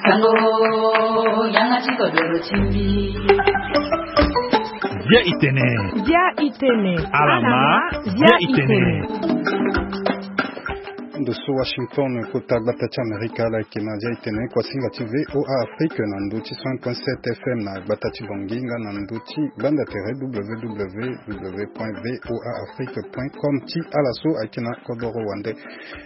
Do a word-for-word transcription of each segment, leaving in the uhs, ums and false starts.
Sango, yanga ti kodoro ti mbi. Bia itene. Bia itene. Alama, bia itene. Ndo so Washington, kota gbata ti Amerika, ala yeke na Bia itene, kuasinga ti V O A Afrique na ndo ti cent point sept F M na gbata ti Bangui, nga na ndo ti gbanda tere W W W point V O A Afrique point com ti ala so ayeke na kodoro wande.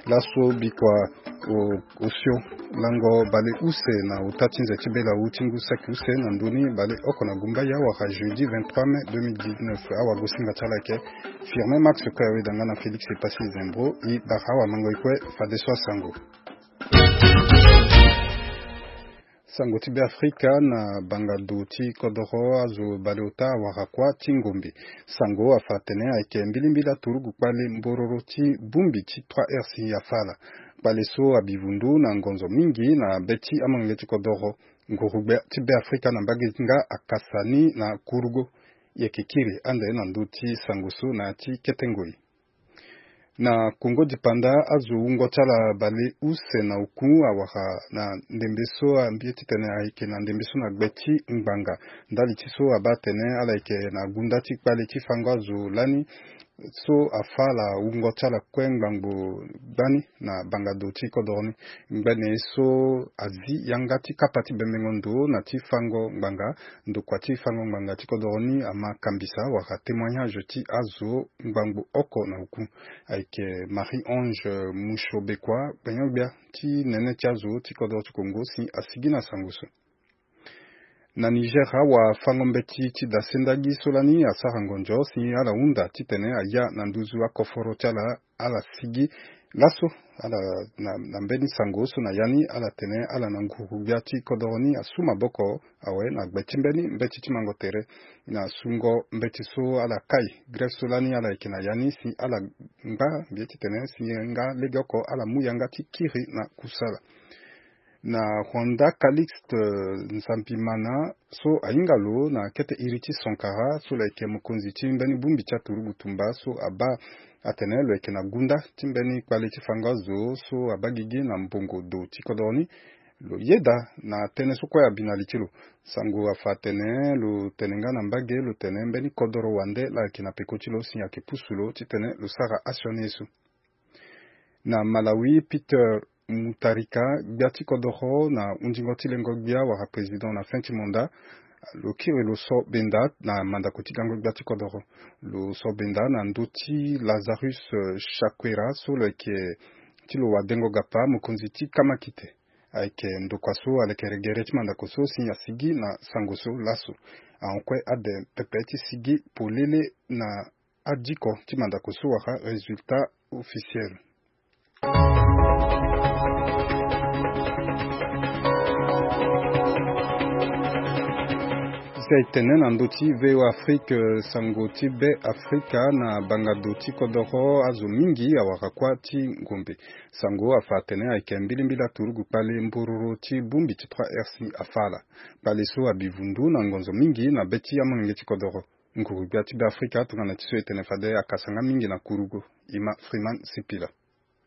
Laso bikua o osio lango bale use na ota ti nze ti bela u ti ngu saki use na ndoni bale oko na gumbaya wala jeudi vingt-trois mai deux mille dix-neuf. Awagosinga ti ala yeke Firmin Max kue, aweda nga na Félix Epassi Zembro. E bara awamango e kue fadeso asango. Sango ti Beafrika na bangado ti kodoro azo baleota awara kuâ ti ngombe. Sango afa atene ayeke mbilimbili aturugu kpale mbororo ti bongbi ti trois R si afa ala. Kpale so abi vundu na ngonzo mingi na be ti amolenge ti kodoro. Nguru-gbia ti Beafrika na mbage ti nga akasa ni na kurugo. E yeke kiri ande na ndö ti sango so na ya ti kete ngoi. Na Kongo dipanda, azo wungo ti ala baleuse na oku awara na ndembe so, ambie titene ayeke na ndembe so na gbe ti ngbanga. Ndali ti so abaa atene ala yeke na gunda ti kpale ti fango azo lani so afa ala wungo ti ala kue ngbangbo gbani na bangado ti kodoro ni. Ngbene so azi yanga ti kapa ti bembengo ndo na ti fango ngbanga, ndokua ti fango ngbanga ti kodoro ni ama kambisa wala témoignage ti azo ngbangbo oko na oku. Ayeke Marie-Ange Mushobekua, gbenyo-gbia ti nene ti azo ti kodoro ti Kongo si asigi na sango so. Na Niger, awafango-mbeti ti dasendagi so lani asara ngonzo si ala hunda titene aya na nduzu akoforo ti ala, ala sigi laso. Ala na, na mbeni sango so na ya ni ala tene ala na nguru-gbia ti kodoro ni asu maboko awe na gbe ti mbeni mbeti ti mango tere na sungo mbeti so ala kai grève so lani ala yeke na ya ni si ala ngba mbi ye titene si nga legeoko ala mu yanga ti kiri na kusala. Na Rwanda, Calixte Nsambimana so ahinga lo na kete iri ti Sankara so lo yeke mokonzi ti mbeni bongbi ti aturugu tumba so abaa atene lo yeke na gunda ti mbeni kpale ti fango azo so abaa gigi na mbongo do ti kodoro ni. Lo yeda na tënë so kue abi na li ti lo. Sango afa atene lo tene nga na mbage lo tene mbeni kodoro wande laa ayeke na peko ti lo si ayeke pusu lo titene lo sara asioni ye so. Na Malawi, Peter Mutharika, gbia ti kodoro na hundingo ti lengo-gbia wala président na fin ti mandat, lo kiri lo so benda na mandako ti gango gbia ti kodoro. Lo so benda na ndö ti Lazarus, eh, Chakwera so lo yeke ti lo wadengo gapa mokonzi ti kamakite. Ayeke ndokua so alekere gere ti mandako so si asigi na sango so laso. Ahon kue ade pepe ti sigi polele na adiko ti mandako so wala résultat officiel. Zi aye tene na ndö ti V O A Afrique, sango ti Beafrika na bangado ti kodoro azo mingi awara kuâ ti ngombe. Sango afa atene ayeke mbilimbili aturugu kpale mbororo ti bongbi ti trois R si afa ala. Kpale so abi vundu na ngonzo mingi na be ti amolenge ti kodoro. Nguru-gbia ti Beafrika tongana ti so e tene fade akasa nga mingi na kurugo. Ima Freeman Sipila.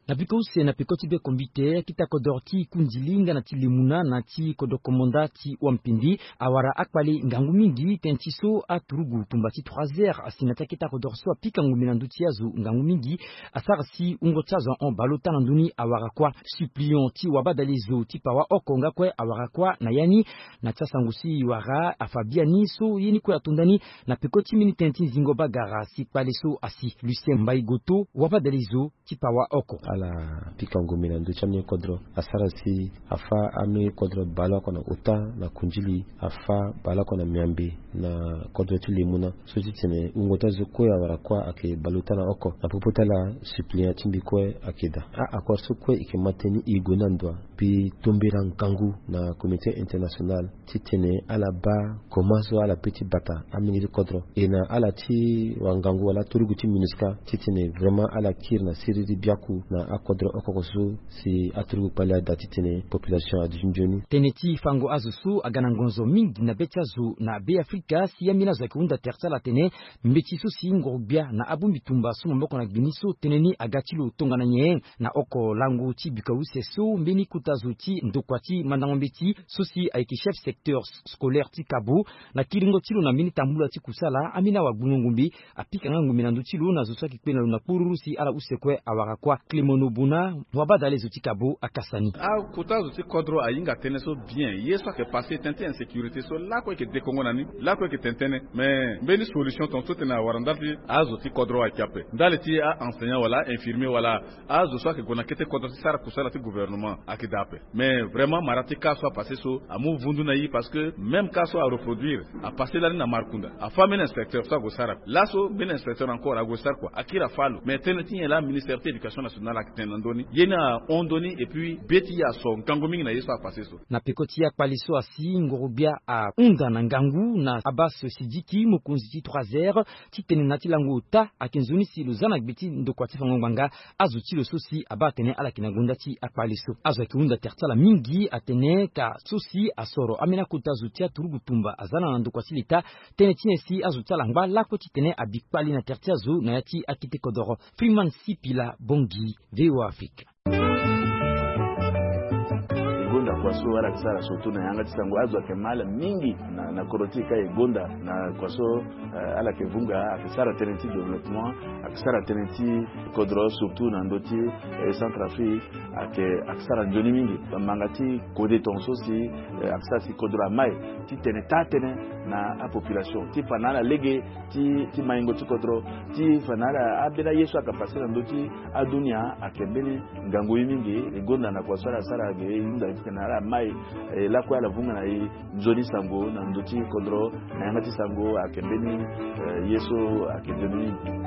Na peko use na peko ti be kombite, akita kodoro ti Kundili nga na ti Lemuna na ti kodoro komanda ti Wampindi awara akpale ngangu mingi tënë ti so aturugu tumba ti trois heures asi na ti akita kodoro so apika ngombe na ndö ti azo ngangu mingi. Asara si wungo ti azo ahon baleota na ndö ni awara kuâ. Suppliant ti wabadalezo ti pawa oko nga kue awara kuâ na ya ni. Na ti asango si e wara afa biani so ye ni kue ato ndani na peko ti mbeni tënë ti nzingo bagara si kpale so asi. Lucien Mbaye Goto, wabadalezo ti pawa oko. Ala pika ngombe na ndö ti ambeni kodro asara si afa ambeni kodro baleoko na ota na Kundili, afa baleoko na Miambe na kodro ti Lemuna. So ti tene wungo ti azo kue awara kuâ ayeke baleota na oko. Na popo ti ala, suppliant ti mbi kue ayeke daa. A-accord so kue e yeke ma tënë ni e gue ni na ndo wa. Mbi tombela ngangu na communauté internationale titene ala baa koma so ala pe ti bata amenge ti kodro, e na ala ti wangangu wala aturugu ti MINUSCA titene vraiment ala kiri na siriri biaku na akodro oko oko so si aturugu kpali ada titene population aduti nzoni. Tënë ti fango azo so aga na ngonzo mingi na be ti azo na Be Afrika si ambeni azo ayeke hunda tere ti ala atene mbeti so si ngoro-gbia na abongbi tumba so maboko na gbeni so tënë ni aga ti lo tongana nyen. Na oko lango ti bika use so mbeni kota zo ti ndokua ti mandango mbeti so si ayeke chef secteur scolaire ti Kabo, na kiringo ti lo na mbeni tambula ti kusala, ambeni awagbungo ngombe apika nga ngombe na ndö ti lo na zo so ayeke kpe na lo na kporuru si ala use kue awara kuâ. Clément Nobuna, wabadale zo ti Kabo akasa ni. Akota zo ti kodro ahinga tënë so bien. Ye so ayeke passe tënë ti insécurité so lakue ayeke dekongo na ni, lakue ayeke tene tënë. Mais mbeni solution tongaso tene awara ndali ti azo ti kodro ayeke ape, ndali ti a-enseignant wala a-infirmier wala azo so ayeke gue na kete kodro ti sara kusala ti gouvernement ayeke daa ape. Mais vraiment mara ti cas so apasse so amu vundu na e, parce que même cas so areproduire, apasse lani na Markunda, afâ mbeni inspecteur so ague sara. Laso mbeni inspecteur encore ague sara kua, akiri afâ lo. Mais tënë ti nyen laa ministère ti éducation nationale ayeke tene na ndö ni? Ye ni ahon ndö ni, et puis be ti e aso ngangu mingi na ye so apasse so. Na peko ti akpali so asi ngoro-gbia ahunda na ngangu na Abbas Sidiki, mokonzi ti trois R, titene na ya ti lango ota ayeke nzoni si lo za na gbe ti ndokua ti fango ngbanga azo ti lo so si abaa atene ala yeke na gonda ti akpali so. Azo ayeke hunda tere ti ala mingi atene ka so si asoro ambeni akota zo ti aturugu tumba aza na na ndokua ti leta, tënë ti nyen si azo ti ala ngba lakue titene abi kpali na tere ti azo na ya ti akete kodoro. Freeman Sipila Bongi, V O A Afrique. E gonda kua so ala yeke sara surtout na yanga ti sango, azo ayeke ma ala mingi na, na kodro ti e ka e gonda na kua so, eh, ala yeke vunga, ayeke sara tënë ti développement, ayeke sara tënë ti kodro surtout na ndö ti, eh, Centrafrique, ayeke, ayeke sara nzoni mingi. Bamanga ti kode tongaso si, eh, ayeke sara si kodro amai titene taa tënë na apopulation ti fa na ala lege ti, ti maingo ti kodro, ti fa na ala ambeni aye so ayeke passe na ndö ti adunia. Ayeke mbeni ngangu ye mingi. E gonda na kua so ala sara ge e hunda titene ala mai, eh, lakue ala vunga na e nzoni sango na ndö ti kodro na yanga ti sango ayeke mbeni, eh, ye so ayeke nzoni mingi.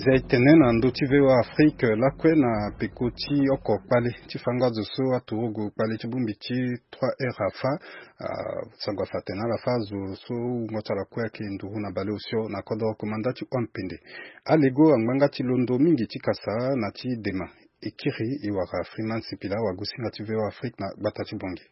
Zia e tene na ndö ti V O A Afrique lakue na peko ti oko kpale ti fango azo so aturugu kpale ti bongbi ti trois R afâ, ah, sango afa atene ala fâ azo so wungo ti ala kue ayeke nduru na baleosio na kodro komanda ti Wampende. Alego angbanga ti londo mingi ti kasa na ti dema. E kiri e wara Freeman Sipila, wagosinga ti V O A Afrique na gbata ti Bongi.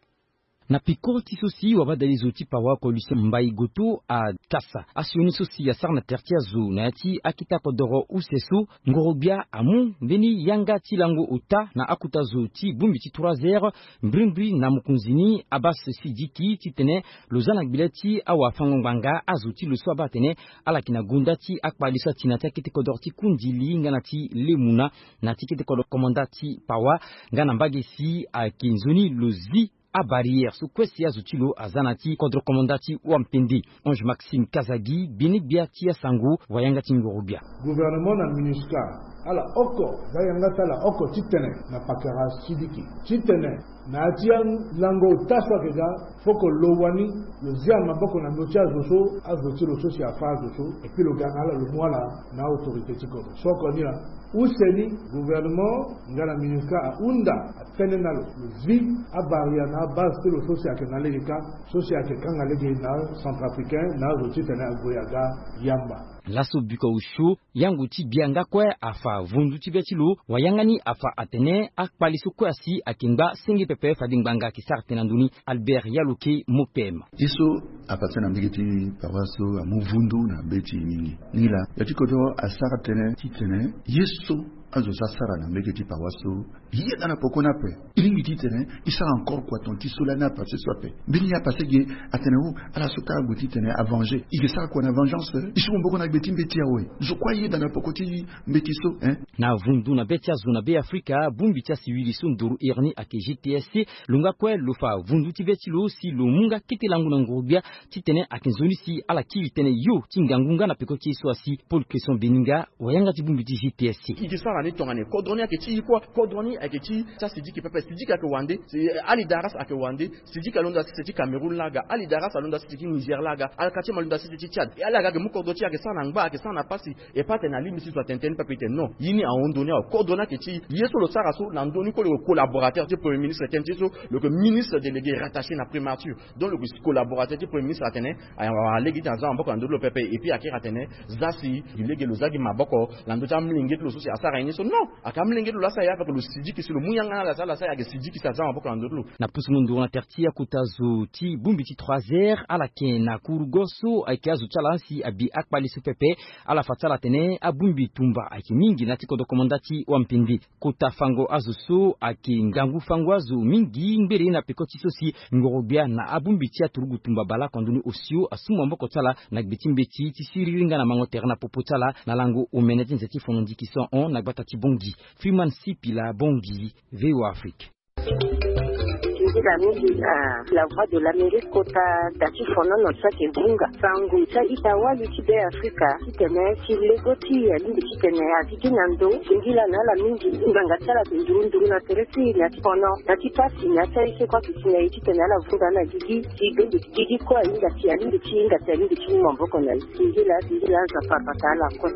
Na peko ti so si wabadale zo ti pawa oko Lucien Mbaye Goto akasa asioni so si asara na tere ti azo na ya ti akete kodoro use so, ngoro-gbia amu mbeni yanga ti lango ota na akota zo ti bongbi ti trois R, mbrimbri na mokonzi ni Abbas Sidiki, titene lo za na gbele ti awafango-ngbanga azo ti lo so abaa atene ala yeke na gonda ti akpali so ati na ya ti akete kodoro ti Kundili nga na ti Lemuna, na ti kete kodro komanda ti pawa, nga na mbage si ayeke nzoni lo zi abarrière so kue si azo ti lo aza na ya ti kodro komanda ti Wampende. Ange Maxime Kazagi, gbene-gbia ti asango, wayanga ti ngoro-gbia. Gouvernement na MINUSCA, ala oko za yanga ti ala oko titene na pakara Sidiki titene na ya ti alango ota so ayeke ga, foko lo wani lo zia maboko na ndö ti azo so, azo ti lo so si afâ azo so, et puis lo ga na ala lo mu ala na autorité ti kodro. So oko ni laa, use ni gouvernement nga na MINUSCA ahunda, atene na lo lo zi abarrière na abase ti lo so si ayeke na lege kâ, so si ayeke kanga lege na Centrafricain na azo titene ague aga yamba. Laso biko osio, yango ti gbia nga kue afa vundu ti be ti lo, wayanga ni afa atene akpali so kue asi ayeke ngba senge pepe fade ngbanga ayeke sara tënë na ndö ni. Albert Yaloke, Mopem. Ye so apasse na mbage ti pawa so amu vundu na be ti e mingi. Ni laa, ya ti kodro asara tënë titene ye so azo so asara na mbage ti pawa so, e yeda na poko ni ape. E lingbi titene e sara encore kua tonga ti so lani apasse so ape. Mbeni ye apasse ge atene o, ala so kâ ague titene avenger, e ke sara kua na vengeance? E su maboko na gbe ti mbeti awe. Zo kue ayeda na poko ti mbeti so, hein? Na vundu na be ti azo na Be Afrika, bongbi ti asiwiri so nduru iri ni ayeke G T S C. Lo nga kue lo fa vundu ti be ti lo si lo mu nga kete lango na nguru-gbia titene ayeke nzoni si ala kiri tënë yo ti ngangu nga na peko ti ye so asi. Paul Cresson Beninga, wayanga ti bongbi ti G T S C. E ke sara ni tongana nyen? Kodro ni ayeke ti e kue. Kodro ni Ayeke ti ti asidiki pepe, sidiki ayeke wande. Alidaras ayeke wande. Sidiki alondo asese ti Cameroun laa ga. Alidaras alondo asese ti Niger laa ga. Alkati ma alondo asese ti Tchad. E ala ga ayeke mu kodro ti e ayeke sara na ngba, ayeke sara na pasi. E pas atene alingbi ti zo atene tënë ni pepe, e tene non, ye ni ahon ndoni awe. Kodro ni ayeke ti e. Ye so lo sara so na ndö ni kue lo yeke collaborateur ti premier ministre, tënë ti e so lo yeke ministre délégué rattaché na primature. Donc lo yeke collaborateur ti premier ministre atene awara lege ti tene aza maboko na ndö ti lo pepe. Et puis akiri atene za si gi lege lo za gi maboko na ndö ti amolenge ti lo so si asara ye ni so. Non, ayeke amolenge ti lo laa asara ye, avec lo sidiki si lo mu yanga na ala si ala sara ye, ayeke sidiki si aza maboko na ndö ti lo. Na pusu mu nduru na tere ti akota zo ti bongbi ti trois heures, ala yeke na kurugo so ayeke azo ti ala si abi akpale so pepe. Ala fa ti ala atene abongbi tumba ayeke mingi na ya ti kodro komanda ti wampende. Kota fango azo so ayeke ngangu fango azo mingi ngbere na peko ti so si ngoro-gbia na abongbi ti aturugu tumba baleoko na ndoni osio asu maboko ti ala na gbe ti mbeti ti siriri nga na mango tere na popo ti ala na lango omene ti nze ti fono ndiki so ahon na gbata ti Bangui. Freeman Sipila, Bangui, V O A Afrique. Nzila mingi na La Voix de l'Amérique kota da ti fonono so ayeke vunga sango ti a-ita wali ti Be Afrika titene ti lego ti e alingbi titene agigi na ndo. Singila na ala mingi, ngbanga ti ala ayeke nduru nduru na tere ti e na ya ti fono, na ya ti pasi, na ya ti aye so kue ayeke si na e titene ala vunga na gigi ti bongbi ti gigi kue ahinga si alingbi ti hinga si alingbi ti mu maboko na e. Singila, singila, Nzapa abata ala kue.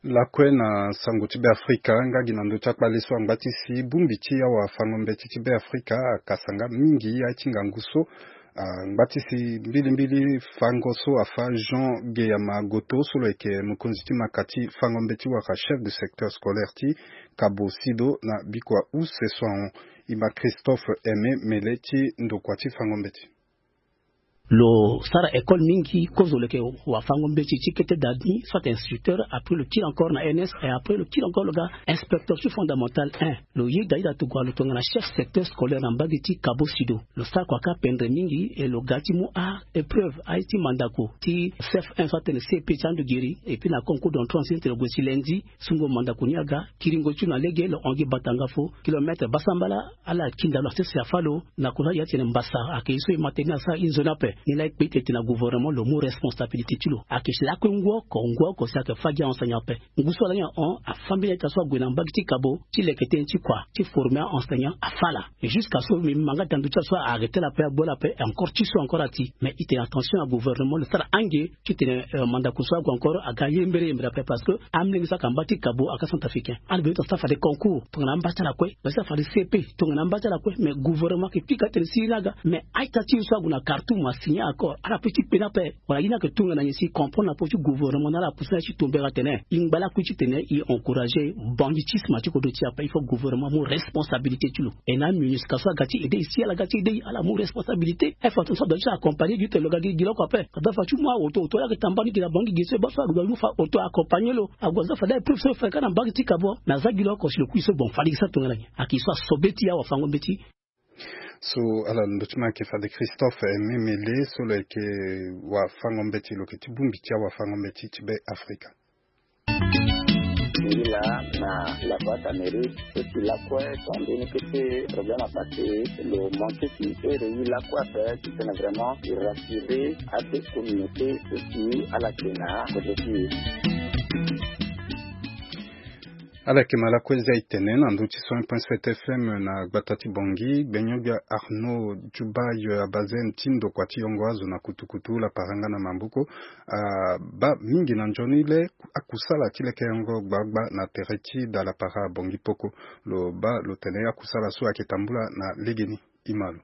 Lakue na sango ti Be Afrika, nga gi na ndö ti akpale so angba ti si bongbi ti awafango-mbeti ti Be Afrika akasa nga mingi aye ti ngangu so. Angba ti si mbilimbili fango so afa Jean Geyama Goto so lo yeke mokonzi ti maka ti fango-mbeti wala chef de secteur scolaire ti Cabo Sido na bikua use so ahon. E ma Christophe Aimé Mele ti ndokua ti fango-mbeti. Lo sara école mingi, kozo lo yeke wafango-mbeti ti kete da ni, soit instructeur, après lo kiri encore na E N S, et après lo kiri encore lo ga inspecteur ti fondamental un. Lo yeda ita tokua lo tongana chef secteur scolaire na mbage ti Cabo Sido. Lo sara kua kâ pendre mingi, et lo ga ti mu a-épreuve, aye ti mandako ti C F un, soit atene C P ti ando giri, et puis na concours d'entrée en sixième ti lo gue ti lundi, sungo mandako ni aga, kiringo ti lo na lege, lo hon gi batanga fo, kilomètre basambala, ala kinda lo asese afâ lo, na kota ya ti tene mbasa ayeke ye so e ma tënë ni asara e nzoni ape. Ni laa e kpe ti tene na gouvernement lo mu responsabilité ti lo. Ayeke si lakue ngu oko, ngu oko si ayeke fâ gi a-enseignant ape. Ngu so ala ni ahon, afâ mbeni a-ita so ague na mbage ti Cabo, ti leke tënë ti kua, ti former a-enseignant afâ ala. Et jusqu'à so mbi ma nga ti na ndö ti ala so a arrêter ala ape, agbu ala ape, encore ti so encore ati. Mais e tene attention na gouvernement lo sara ange, ti tene, euh, mandako so ague encore aga yembere yembere ape, parce que amolenge so ayeke na mba ti Cabo ayeke acentrafricain. Ala bino tongana so afade concours tongana amba ti ala kue, basi afade C P tongana amba ti ala kue, mais gouvernement ayeke pika tene si ye ni aga. Mais a-ita ti e so ague na Khartoum asigner accord, ala peut ti kpe ni ape. Wala ye ni ayeke tongana nyen si e comprendre na popo ti gouvernement na ala apusu na ye ti tombere atene e ngba lakui ti tene e encourager banditisme ti kodro ti e ape. Il faut gouvernement amu responsabilité ti lo. E na MINUSCA so aga ti aidé e si ala ga ti aidé e, ala mu responsabilité. E fa tongana so adua ti accompagner gi ti tene lo ga gi gi lo oko ape. Ka da fa ti mu aoto, oto laa ayeke tambani gi na bangi gi so e baa so ague alu fa oto accompagner lo. Ague aza fade épreuve so e fa ka na mbage ti Cabo. Na aza gi lo oko si lo kui so bon fade gi sara tongana nyen? Ayeke so asobe ti e awafango-mbeti. So ala ndö ti ma ayeke fade Christophe Aimé Mele so lo yeke wafango-mbeti, lo yeke ti bongbi ti awafango-mbeti ti Be Afrika. Singila na La Voix d'Amérique, so si lakue so ambeni kete problème apassé, lo manqué ti ere ye lakue ape ti tene vraiment e rassurer ape communauté so si ala yeke na kodro ti e. Ala yeke ma lakue zia e tene na ndö ti cent un point sept F M na gbata ti Bangui, gbenyo-gbia Arnaud Djoubaye Abazène ti ndokua ti yongo azo na kutukutu lapara nga na maboko. Abaa mingi na nzoni le akusala ti lekerengo gbagba na tere ti da lapara Bangui Poko. Lo baa lo tene akusala so ayeke tambula na legeni. E ma lo.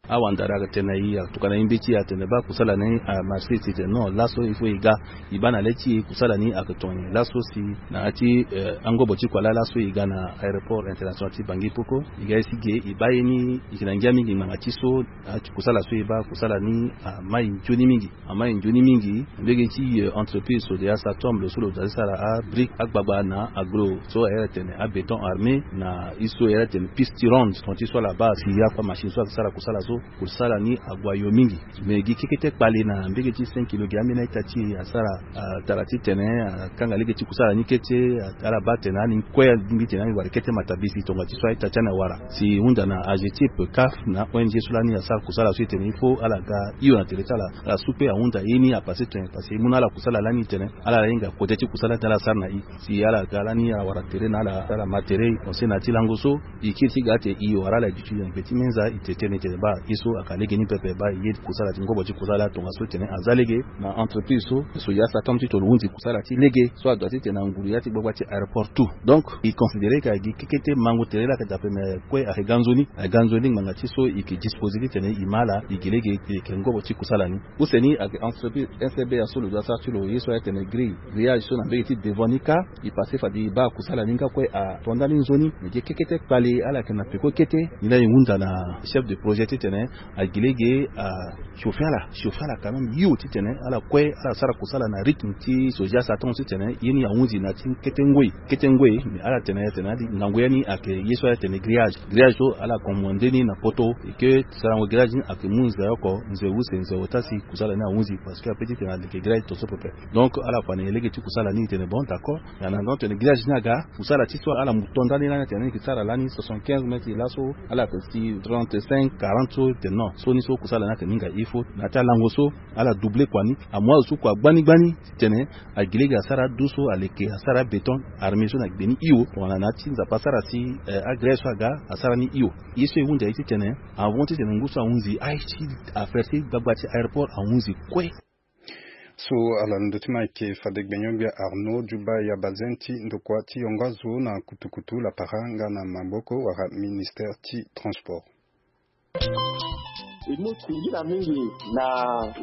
Awandara ayeke tene na e, atokua na e mbeti, atene baa kusala ni amarché, si tene non, laso il faut e ga. E baa na le ti e kusala ni ayeke tongana nyen. Laso si na ya ti, eh, angobo ti kua laa, laso e ga na aéroport international ti Bangui Poko, e ga ye si ge, e baa ye ni, e yeke na ngia mingi ngbanga ti so, ah, ti kusala so e baa, kusala ni amai nzoni mingi. Amai nzoni mingi. Mbege ti, eh, entreprise so de ya Satom, lo so lo za ti sara abrique, agbagba na agro so a iri atene abéton armé, na ye so a iri atene piste tirante, tongana ti so ala baa si akua machine so ayeke sara kusala so. Kusala ni ague ayo mingi. Me gi kekete kpale na mbege ti cinq kilo gi ambeni a-ita ti e asara, atara titene akanga lege ti kusala ni kete. Ala baa tene ani kue angbi tene ani wara kete matabisi tonga ti so a-ita ti ani awara. Si hunda na AGETIP, CAF na O N G so lani asara kusala so e tene il faut ala ga hio na tere ti ala. Ala su kue ahunda ye ni apasse tene parce que e mu na ala kusala lani tene ala hinga kode ti kusala ti ala sara na e. Si ala ga lani ala wara tere na ala, ala ma tere, e conseil na ya ti lango so. E kiri ti ga ate e wara ala duti na gbe ti meza, e tene tene baa e so aka lege ni pepe, baa e ye kusala ti ngobo ti kusala tongaso tene aza lege na entreprise so. So ya sa tandu ti tolo hunzi kusala ti lege so adua titene anguru ya ti gbagba ti aéroport tout. Donc e considérer ka gi kekete mango tere la ka dape me kue ayeke ga nzoni, ayeke ga nzoni ngbanga ti so e yeke disposer titene e ma ala e gi lege e yeke ngobo ti kusala ni. Use ni ayeke entreprise N C B A so lo dua sara ti lo ye so ayeke tene grille, grillage so na mbege ti devant ni kâ. E passe fade e baa kusala ni nga kue ato ndani nzoni. Me gi kekete kpale ala yeke na peko kete. Ni laa e hunda na chef de projet titene agi lege a chauffer ala, chauffer ala quand même hio titene ala kue ala sara kusala na rythme ti so ya sa tandu titene ye ni ahunzi na ya ti kete ngoi, kete ngoi. Me ala tene tene adi ngangu ya ni ayeke ye so ala tene grillage. Grillage so ala commande ni na poto. E ke sarango grillage ni ayeke mu nze oko, nze use, nze ota si kusala ni ahunzi parce que ape titene aleke grillage to so pepe. Donc ala fa na e lege ti kusala ni, e tene bon d'accord. Na na donc tene grillage ni aga kusala ti so ala mu to ndani lani atene ni yeke sara lani soixante-quinze mètres, laso ala yeke si trente-cinq, quarante so, e tene non, so ni so kusala ni ayeke ni nga il faut na ya ti alango so ala doubler kua ni. Amu azo so kua gbani gbani titene agi lege asara ado so aleke asara béton armé so na gbe ni hio. Tongana na ya ti Nzapa asara si, eh, agrillage so aga asara ni hio. Ye so e hunda ye titene avant titene ngu so ahunzi aye ti affaire ti gbagba ti aéroport ahunzi kue. So ala ndö ti ma ayeke fade gbenyo-gbia Arnaud Djuba ya bazen ti ndokua ti yongo azo na kutukutu lapara nga na maboko wala ministère ti transport. E mu singila mingi na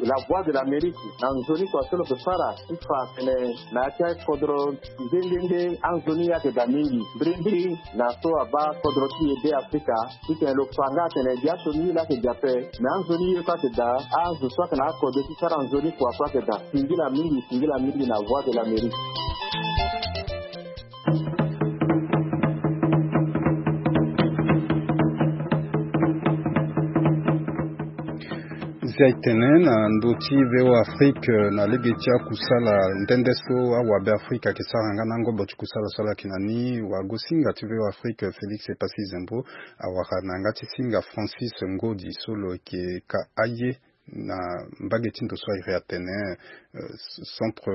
La Voix de l'Amérique na nzoni kua so lo yeke fara ti fa tene na ya ti akodro nde nde nde anzoni ayeke daa mingi mbirimbiri na so abaa kodro ti e be Afrika. Titene lo fa nga atene gi asioni ye laa ayeke daa ape. Me anzoni ye so ayeke daa, azo so ayeke na akode ti sara nzoni kua so ayeke daa. Singila mingi, singila mingi na Voix de l'Amérique. Zia e tene na ndö ti V O A Afrique, na lege ti akusala nde nde so awabe Afrika ayeke sara nga na ngobo ti kusala so ala yeke na ni, wagosinga ti V O A Afrique Félix Epassi Zembo awara na yanga ti singa Francis Ngodi so lo yeke ka aye na mbage ti ndo so a iri atene, euh, centre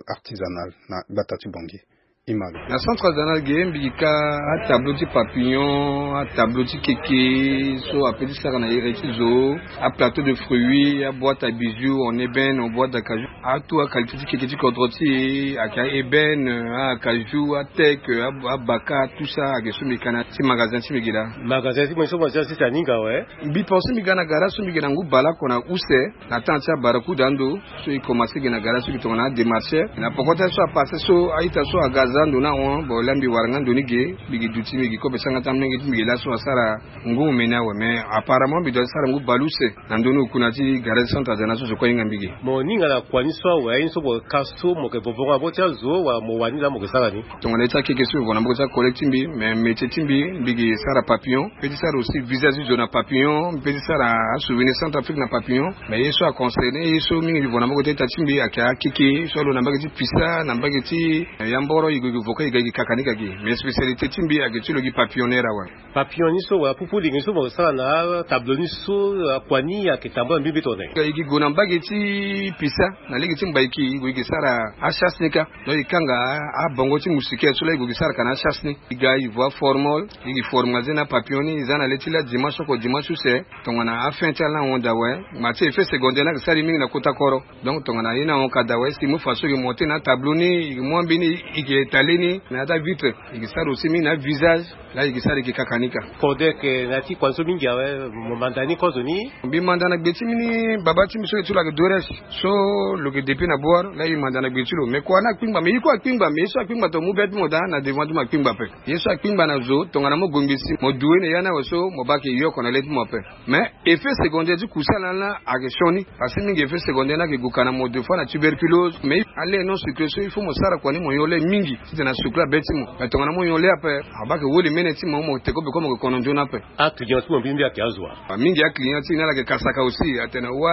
artisanal na gbata ti Bangui. Image. Na centre artisanal ge mbi gi ka atableau ti papillon, atableau ti keke so ape ti sara na ere ti zo, aplateau de fruits, aboîte à bijoux en ébène, en boîte d'acajou, atout aqualité ti keke ti kodro ti e ayeke aébène, acajou, ateke, abaka, tout ça ayeke so mbi gi ka na ti magasin ti mbi gi laa. Magasin ti mbi so mo ti asi ti aninga awe. Mbi pense mbi ga na gara so mbi gi na ngu baleoko na use na temps ti abarakuda ando. So e commencé gi na gara so gi tongana adémarcheur na poko ti aye so apassé so a-ita so aga aza ando ni ahon. Bon laa mbi wara nga ndo ni ge mbi gi duti mbi gi kobe sanga ti amolenge ti mbi gi laso asara ngu omeni awe. Mais apparemment mbi doit ti sara ngu baleuse na ndö ni oku na ti gara ti centre artisanal so zo kue ahinga mbi ge. Mo ninga na kua ni so awe aye ni so mo ka so mo yeke vovo nga na maboko ti azo wala mo wani laa mo yeke sara ni? Tongana ye ti akeke so e vo na maboko ti acollègue ti mbi, mais métier ti mbi mbi gi sara papillon. Mpe ti sara aussi visage ti zo na papillon, mpe ti sara asouvenir Centrafrique na papillon. Mais ye so aconcerné ye so mingi mbi vo na maboko ti a-ita ti mbi ayeke akeke so alo na mbage ti pisa na mbage ti, eh, yamboro e gue e gue vo ka e ga e gi kakanika gi. Mais spécialité ti mbi ayeke ti lo gi papillonneur awe. Papillon ni so wala pupu lingi ni so mo sara na atableau ni so, akua ni ayeke tambula mbi mbi tongana nyen? E gi gue na mbage ti pisa na lege ti mbaiki e gue e gi sara achasse ni kâ. Donc e kanga abongo ti moustiquaire so laa e gue e gi sara ka na achasse ni. E ga e vo aformol e gi formaliser na apapillon ni e za na le ti laa dimanche oko dimanche use. Tongana afin ti ala ni ahon daa awe, ma ti effet secondaire ni ayeke sara e mingi na kota koro. Donc tongana ye ni ahon ka daa awe si e mu façon e gi monter na atableau ni, e gi mu ambeni e gi étaler ni na ya ti avitre. E gi sara aussi mingi na avisage. Laa e gi sara e gi kakanika. Kode ayeke na ya ti kua ni so mingi awe, mo manda ni kozo ni? Mbi manda na gbe ti mbi ni baba ti mbi so ayeke ti lo ayeke Dorès. So lo yeke depuis na Bouar laa e manda na gbe ti lo. Mais kua ni akpingba, mais ye kue akpingba, mais ye so akpingba tongana mo mu be ti mo daa na devant ti mo akpingba ape. Ye so akpingba na zo tongana mo gongbi si mo du ye na ya ni awe so mo baa ayeke ye oko na le ti mo ape. Mais effet secondaire ti kusala ni laa ayeke sioni. Parce que mingi effet secondaire ni ayeke gue ka na mo deux fois na tuberculose. Mais ale non sucré so il faut mo sara kua ni mo yo le mingi. Titene asukula be ti mo, me tongana mo nyon le ape. Abaa ke woli mene ti mo, mo te ko be ko mo ke kono nzoni ape. Aclient ti mo mbirimbiri ayeke azo wa? Mingi aclient ti ni ala yeke kasaka aussi, atene wa,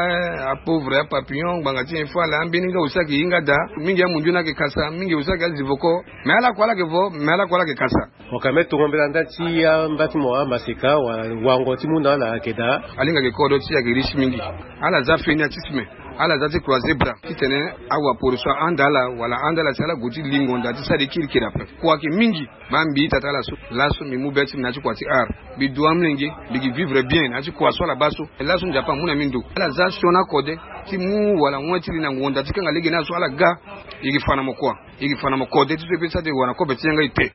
apauvre, apapillon, ngbanga ti nyen fâ ala, ambeni nga aussi ayeke hinga daa. Mingi amundu ni ayeke kasa, mingi aussi ayeke azivoko. Mais ala kue ala yeke vo, mais ala kue ala yeke kasa. Mo ka me tongo mbela nda ti amba ti mo, amaseka wala wango ti mu na ala ayeke daa. Alinga ayeke kodro ti e ayeke riche mingi. Ala za feni atisme. Ala za ti croiser bras titene awaporo so ahanda ala wala ahanda ala si ala gue ti li ngonda ti sara ye kirikiri ape. Kua ayeke mingi. Baa mbi ita ti ala so laso mbi mu be ti mbi na ya ti kua ti art. Mbi du amolenge, mbi gi vivre bien na ya ti kua so ala baa so. Laso Nzapa amu na mbi ndo. Ala za sioni akode ti mu wala wen ti li na ngonda ti kanga lege ni aso ala ga. E yeke fa na mo kua. E yeke fa na mo kode ti so e pe ti sara ti e wara na kobe ti yanga ete.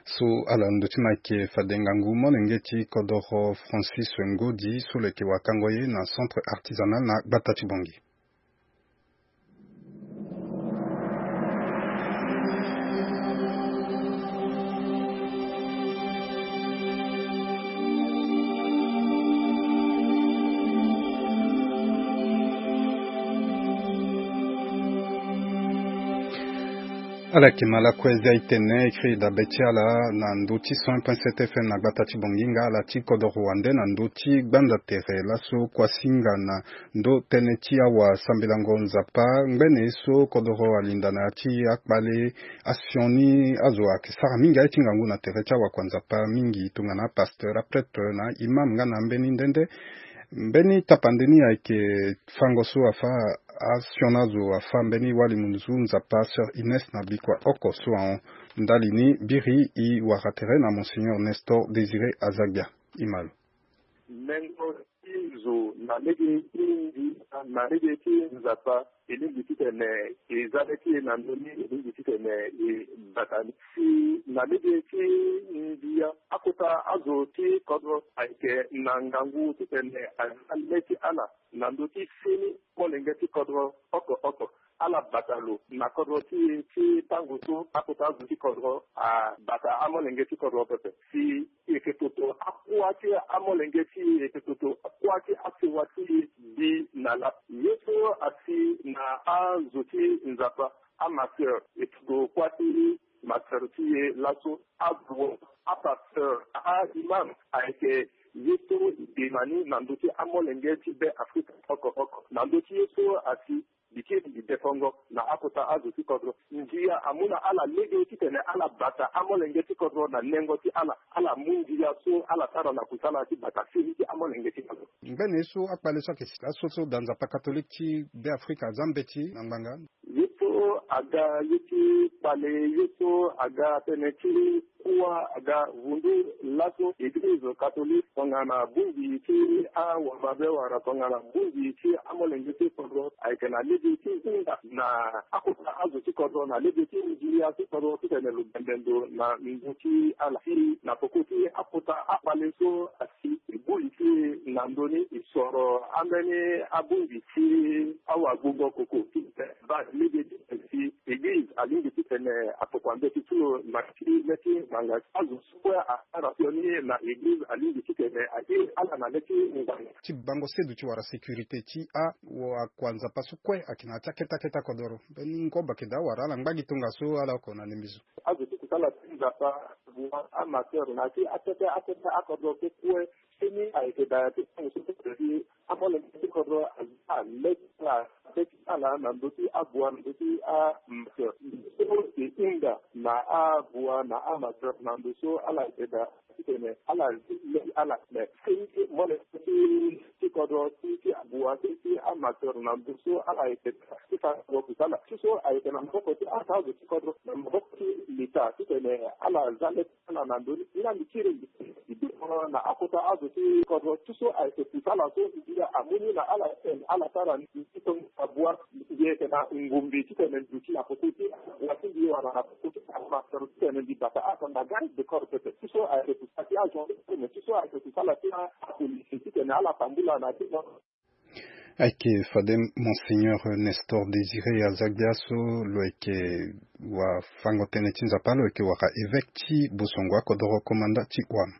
So ala ndö ti mo ayeke fade ngangu molenge ti kodoro Francis Ngodi so lo yeke wakango ye na centre artisanal na gbata ti Bangui. Ala yeke ma lakue zia itene e kiri dabe ti ala na ndö ti cent point sept F M na gbata ti Bangui nga ala ti kodoro wande na ndö ti gbanda tere laso kuasinga na ndö tënë ti awasambelango Nzapa ngbene ye so kodoro alinda na ya ti akpale asioni azo ayeke sara mingi aye ti ngangu na tere ti awakua Nzapa mingi tongana apasteur, aprêtre na imam nga na ambeni nde nde. Mbeni tapande ni ayeke fango so afâ asioni azo afâ mbeni wali munzu Nzapa sœur Ines na bikua oko so ahon. Ndali ni biri e wara tere na Monseigneur Nestor Désiré Azagbia. E ma lo. Nengo ti zo na lege ti ndia na lege ti Nzapa e lingbi titene e za le ti e na ndö ni e lingbi titene e bata ni. Si na lege ti ndia akota azo ti kodro ayeke na ngangu titene aza le ti ala na ndö ti fini molenge ti kodro oko oko. Ala bata lo na kodro ti e ti tango so akota azo ti kodro abata amolenge ti kodro pepe. Si e yeke toto akua ti amolenge ti e, e yeke toto akua ti asewa ti e bi na la. Ye so asi na azo ti Nzapa, amaseur, e toto kua ti maseur ti e laso, abro, apasteur, a-imam, ayeke ye so e bi na ni na ndö ti amolenge ti Be Afrika oko oko. Na ndö ti ye so asi, mbi kiri mbi defongo na akota azo ti kodro. Ndia amu na ala lege titene ala bata amolenge ti kodro na nengo ti ala. Ala mu ndia so ala sara na kusala ti bata fini ti amolenge ti kodro. Ngbene ye so akpale so ayeke si laso so da Nzapa katolike ti Be Afrika aza mbeti na ngbanga. Ye so aga ye ti kpale, ye so aga tënë ti kuâ aga vundu laso eglize katolike tongana bongbi ti awamabe wala tongana bongbi ti amolenge ti kodro ayeke na lege ti hinga na akota azo ti kodro na lege ti ndia ti kodro titene lo bembe ndo na ngu ti ala. Si na peko ti akota akpale so asi e buli ti e na ndö ni e soro ambeni abongbi ti awagbongo koko ti tene baa lege ti tene si eglize alingbi ti tene atokua mbeti ti lo na ti le ti ngbanga. Azo so kue asara sioni na eglize alingbi ti tene airi ala na le ti ngbanga. Ti bango sedu ti wara sécurité ti awakua Nzapa so kue ayeke na ya ti akete akete akodoro. Mbeni ngoba ayeke daa wara ala ngba gi tongaso ala oko na ndembe zo. Azo ti kusala ti Nzapa, amaseur na ya ti akete akete akodoro so kue. Fini ayeke daa ti tango so ti amolenge ti kodro aza le ti ala, le ti ala na ndö ti abua na ndö ti amaseur so e hinga na abua na amaseur na ndö so ala yeke daa titene ala zi le ti ala. Me fini molenge ti ti kodro ti ti abua ti ti amaseur na ndö so ala yeke daa ti fa kodro kusala ti so ayeke na maboko ti ata azo ti kodro na maboko ti leta titene ala za le ti ala na ndö ni. Nga mbi kiri mbi mbi bino na akota azo ti kodro ti so ayeke kusala so ndia amu ni na ala titene ala sara ni ti tongo abua. Mbi yeke na ngumbi titene mbi duti na peko ti abua ti mbi wala na peko ti amasoro titene mbi bata akanga garde de corps pepe ti so ayeke kusala ti agendarme ti so ayeke kusala ti apolisi titene ala tambula na ti. Ayeke fade Monseigneur Nestor Désiré Azagbia so lo yeke wafango tënë ti Nzapa, lo yeke wara évêque ti Bosongo akodoro komanda ti Ouham.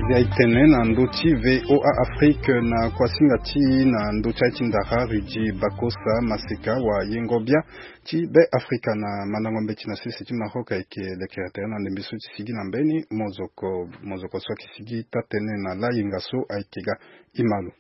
Ndia itene na ndö ti VOA Afrique na kuasinga ti na ndö ti aye ti ndara Rudy Bakosa Maseka wa yengo bia ti Be Afrika na mandango mbeti na sese ti Maroc ayeke lekere tere na ndembe so ti sigi na mbeni mozoko. Mozoko so ayeke sigi taa-tënë na layenga so ayeke ga. Imalo.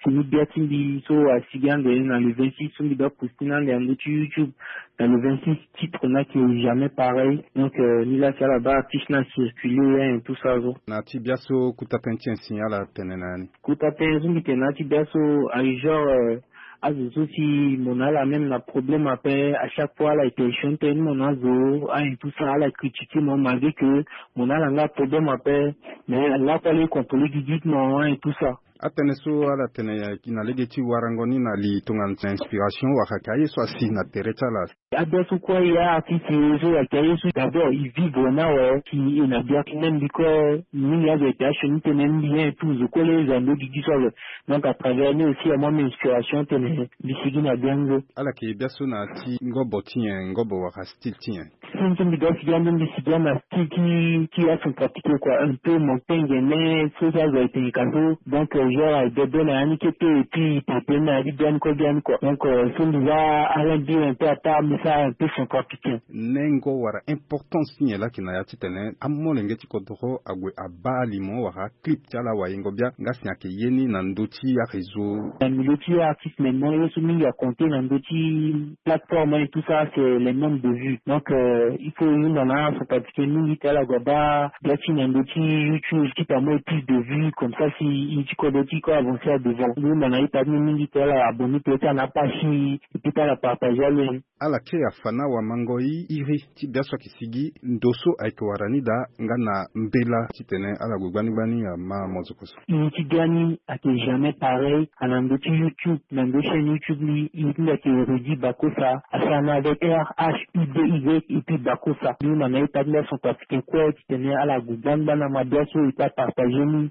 Fini bia ti mbi so asigi ande na le vingt-six so mbi doit poster na ande na ndö ti YouTube. Na le vingt-six titre na ke jamais pareil. Donc euh, ni la ti ala baa artiste na circuler hein, tout ça zo. Na ti bia so kuta tënë ti en si ala tene na ya ni. Kuta tënë so mbi tene na ti bia so aye genre euh, azo so si mo na ala même na problème ape. À chaque fois ala yeke chanter ni mo na azo hein, tout ça ala critiquer mo malgré que mo na ala nga problème ape. Mais lakue ala ye contrôler gigi ti mo hein, tout ça. Atënë so ala tene ya na lege ti warango ni na li tongana inspiration wala ayeke aye so asi na tere ti ala. Abia so kue ya artiste ye so ayeke aye so d'abord e vivre na awe si e na bia ti même biko mingi azo ayeke asioni tënë mbi hein, tout zo kue le zo ando gigi so awe. Donc à travers ni aussi amua mbi inspiration tene mbi sigi na bia ni zo. Ala yeke bia so na ti ngobo ti nyen ngobo wala style ti nyen? Since mbi doit sigi ande mbi sigi ande na style ti ti acentrafricain quoi, un peu montagne mais so ti azo ayeke tene ka so. Donc euh, genre aye bebe na ya ni kete et puis pepe na ya ti bia ni kue bia ni quoi. Donc euh, so mbi za alain bi un peu ata mbi sara un peu centrafricain. Nengo wala importance ti nyen laa ayeke na ya titene amolenge ti kodoro ague abaa limo wala clip ti ala wayengo bia nga si ayeke ye ni na ndö ti aréseau? Na milieu ti artiste maintenant ye so mingi aconte na ndö ti plateforme et tout ça c'est les nombres de vues. Donc euh, il faut hunda na acentrafricain mingi ti ala gue abaa bia ti na ndö ti YouTube ti pe amu plus de vues comme ça si ye ti kodro ti ko avancer à devant. Hunda na ye pe ade ni mingi ti ala abonner pe ti ala na page ti e pe ti ala partager alo. Ala kiri afa na wamango iri ti bia so ayeke sigi ndo so ayeke wara ni daa nga na mbela titene ala gue gbani gbani ama mozoko so. Iri ti bia ni ayeke jamais pareil. Ana ndo ti YouTube na ndo chaîne YouTube ni iri ti nda ayeke Rudy Bakosa asara na avec R H U D Y et puis Bakosa ni ma na ye pe ade nda centrafricain kue titene ala gue gbani gbani ama bia so e pe apartager ni.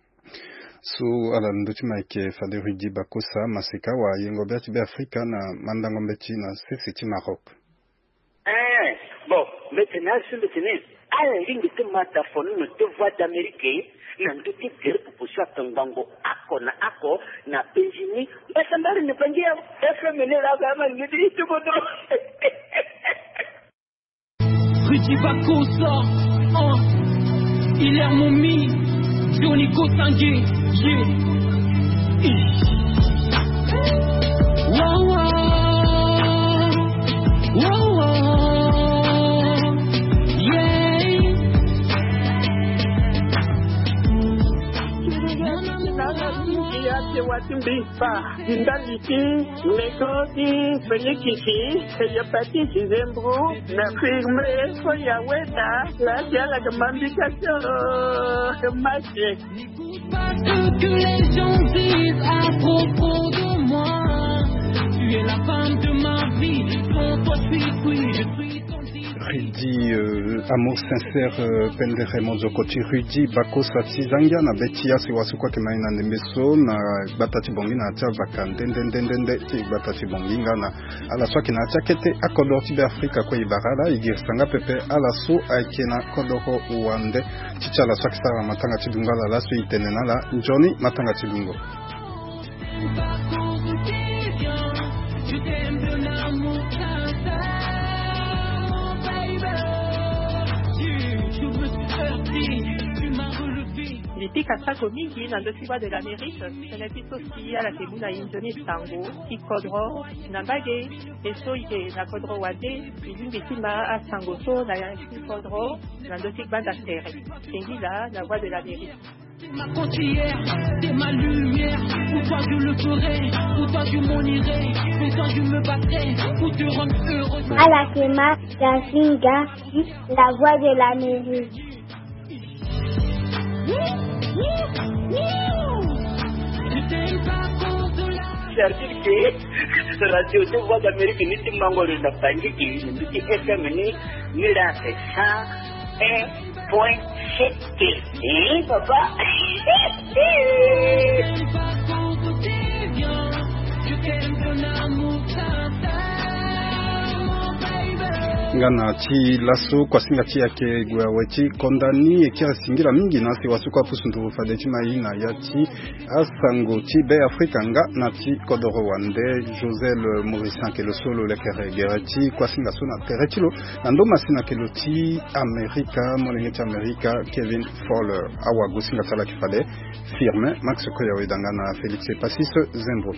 So ala na ndö ti ma ayeke fade Rudy Bakosa Maseka wa yengo bia ti Be Afrika na mandango mbeti na sese ti Maroc. Eh, bon, mbeti na asu mbeti ni ala lingbi ti ma tafono na te Voix d'Amérique na ndö ti gere proposition atongbango ako na ako na penzi ni. Mbasambari ni bangi ya F M ni la ga ma ni ti tuko do. Rudy Bakosa, hein. Hilaire Momi, Johnny Kosange, yeah. Wow, wow. Wow, wow. Yeah. Ti mbi fa ndali ti nego ti Félix ti Hepatite Zembro na firme so ya weda la ti ala ke mambi ka ti o mache. N'écoute pas ce que les gens disent à propos de moi. Tu es la femme de ma vie, sans toi je suis cuit, je suis Rudy, euh, amour sincère, euh, pendere mozoko ti Rudy Bakosa ti zangia na be ti ya si wasu kue ayeke ma e na ndembe so na gbata ti Bangui na ya ti avaka nde nde nde nde nde ti gbata ti Bangui nga na ala so ayeke na ya ti akete akodro ti Be Afrika kue e bara ala e girisa nga pepe ala so ayeke na kodro wande ti ti ala so ayeke sara matanga ti dungo ala laso e tene na ala nzoni matanga ti dungo. Mbi pika sako mingi na ndö ti Voix de l'Amérique, tënë ti so si ala yeke mu na e nzoni sango ti kodro na mbage. E so e yeke na kodro wande, e lingbi ti ma asango so na ya ti kodro na ndö ti gbanda tere. Sengila na Voix de l'Amérique. T'es ma cordillère, t'es ma lumière. Pour toi je le ferai, pour toi je m'en irai, pour toi je me battrai, pour te rendre heureuse. Ala yeke ma Dazinga, la Voix de l'Amérique. Service ke radio ti Voix d'Amérique ni ti mango lo na Bangui, ni ti F M ni, ni la c'est cent un point sept. Eh, papa. Nga na ti laso kuasinga ti yake gue awe ti konda ni e kiri singila mingi na si waso kue apusu nduru fade ti ma ye na ya ti asango ti Be Afrika nga na ti kodoro wande. Josel Morissin ayeke lo so lo lekere gere ti kuasinga so na tere ti lo na ndo masina ayeke lo ti Amerika, molenge ti Amerika Kevin Fowler. Awagosinga ti ala ayeke fade Firmin Max Koya Wedanga na Félix Epasis Zembro.